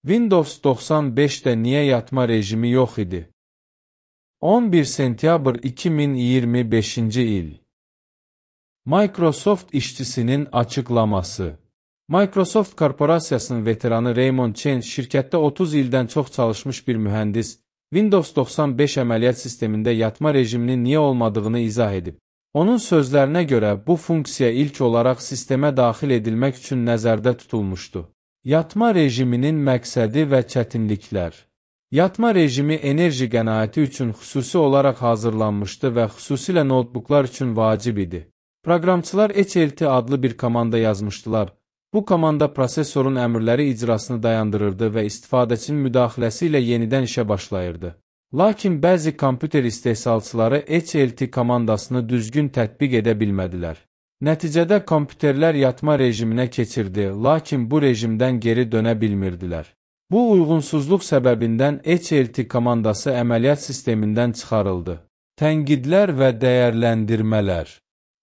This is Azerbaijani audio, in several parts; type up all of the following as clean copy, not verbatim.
Windows 95'də niyə yatma rejimi yox idi? 11 sentyabr 2025-ci il. Microsoft işçisinin açıqlaması. Microsoft korporasiyasının veteranı Raymond Chen şirkətdə 30 ildən çox çalışmış bir mühəndis, Windows 95 əməliyyat sistemində yatma rejiminin niyə olmadığını izah edib. Onun sözlərinə görə bu funksiya ilk olaraq sistemə daxil edilmək üçün nəzərdə tutulmuşdu. Yatma rejiminin məqsədi və çətinliklər. Yatma rejimi enerji qənaəti üçün xüsusi olaraq hazırlanmışdı və xüsusilə notebooklar üçün vacib idi. Proqramçılar HLT adlı bir komanda yazmışdılar. Bu komanda prosesorun əmrləri icrasını dayandırırdı və istifadəçinin müdaxiləsi ilə yenidən işə başlayırdı. Lakin bəzi kompüter istehsalçıları HLT komandasını düzgün tətbiq edə bilmədilər. Nəticədə kompüterlər yatma rejiminə keçirdi, lakin bu rejimdən geri dönə bilmirdilər. Bu uyğunsuzluq səbəbindən HLT komandası əməliyyat sistemindən çıxarıldı. Tənqidlər və dəyərləndirmələr.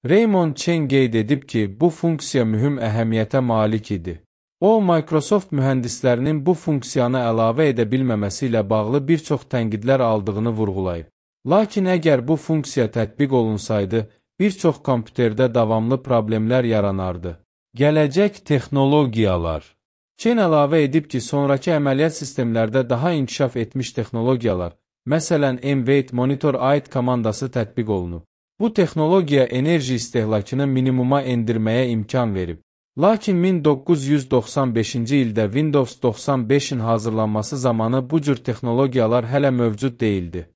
Raymond Chen qeyd edib ki, bu funksiya mühüm əhəmiyyətə malik idi. O, Microsoft mühəndislərinin bu funksiyanı əlavə edə bilməməsi ilə bağlı bir çox tənqidlər aldığını vurğulayıb. Lakin əgər bu funksiya tətbiq olunsaydı, bir çox kompüterdə davamlı problemlər yaranardı. Gələcək texnologiyalar. Chen əlavə edib ki, sonrakı əməliyyat sistemlərdə daha inkişaf etmiş texnologiyalar, məsələn M-Weight Monitor AIT komandası tətbiq olunub. Bu texnologiya enerji istehlakını minimuma endirməyə imkan verib. Lakin 1995-ci ildə Windows 95-in hazırlanması zamanı bu cür texnologiyalar hələ mövcud deyildi.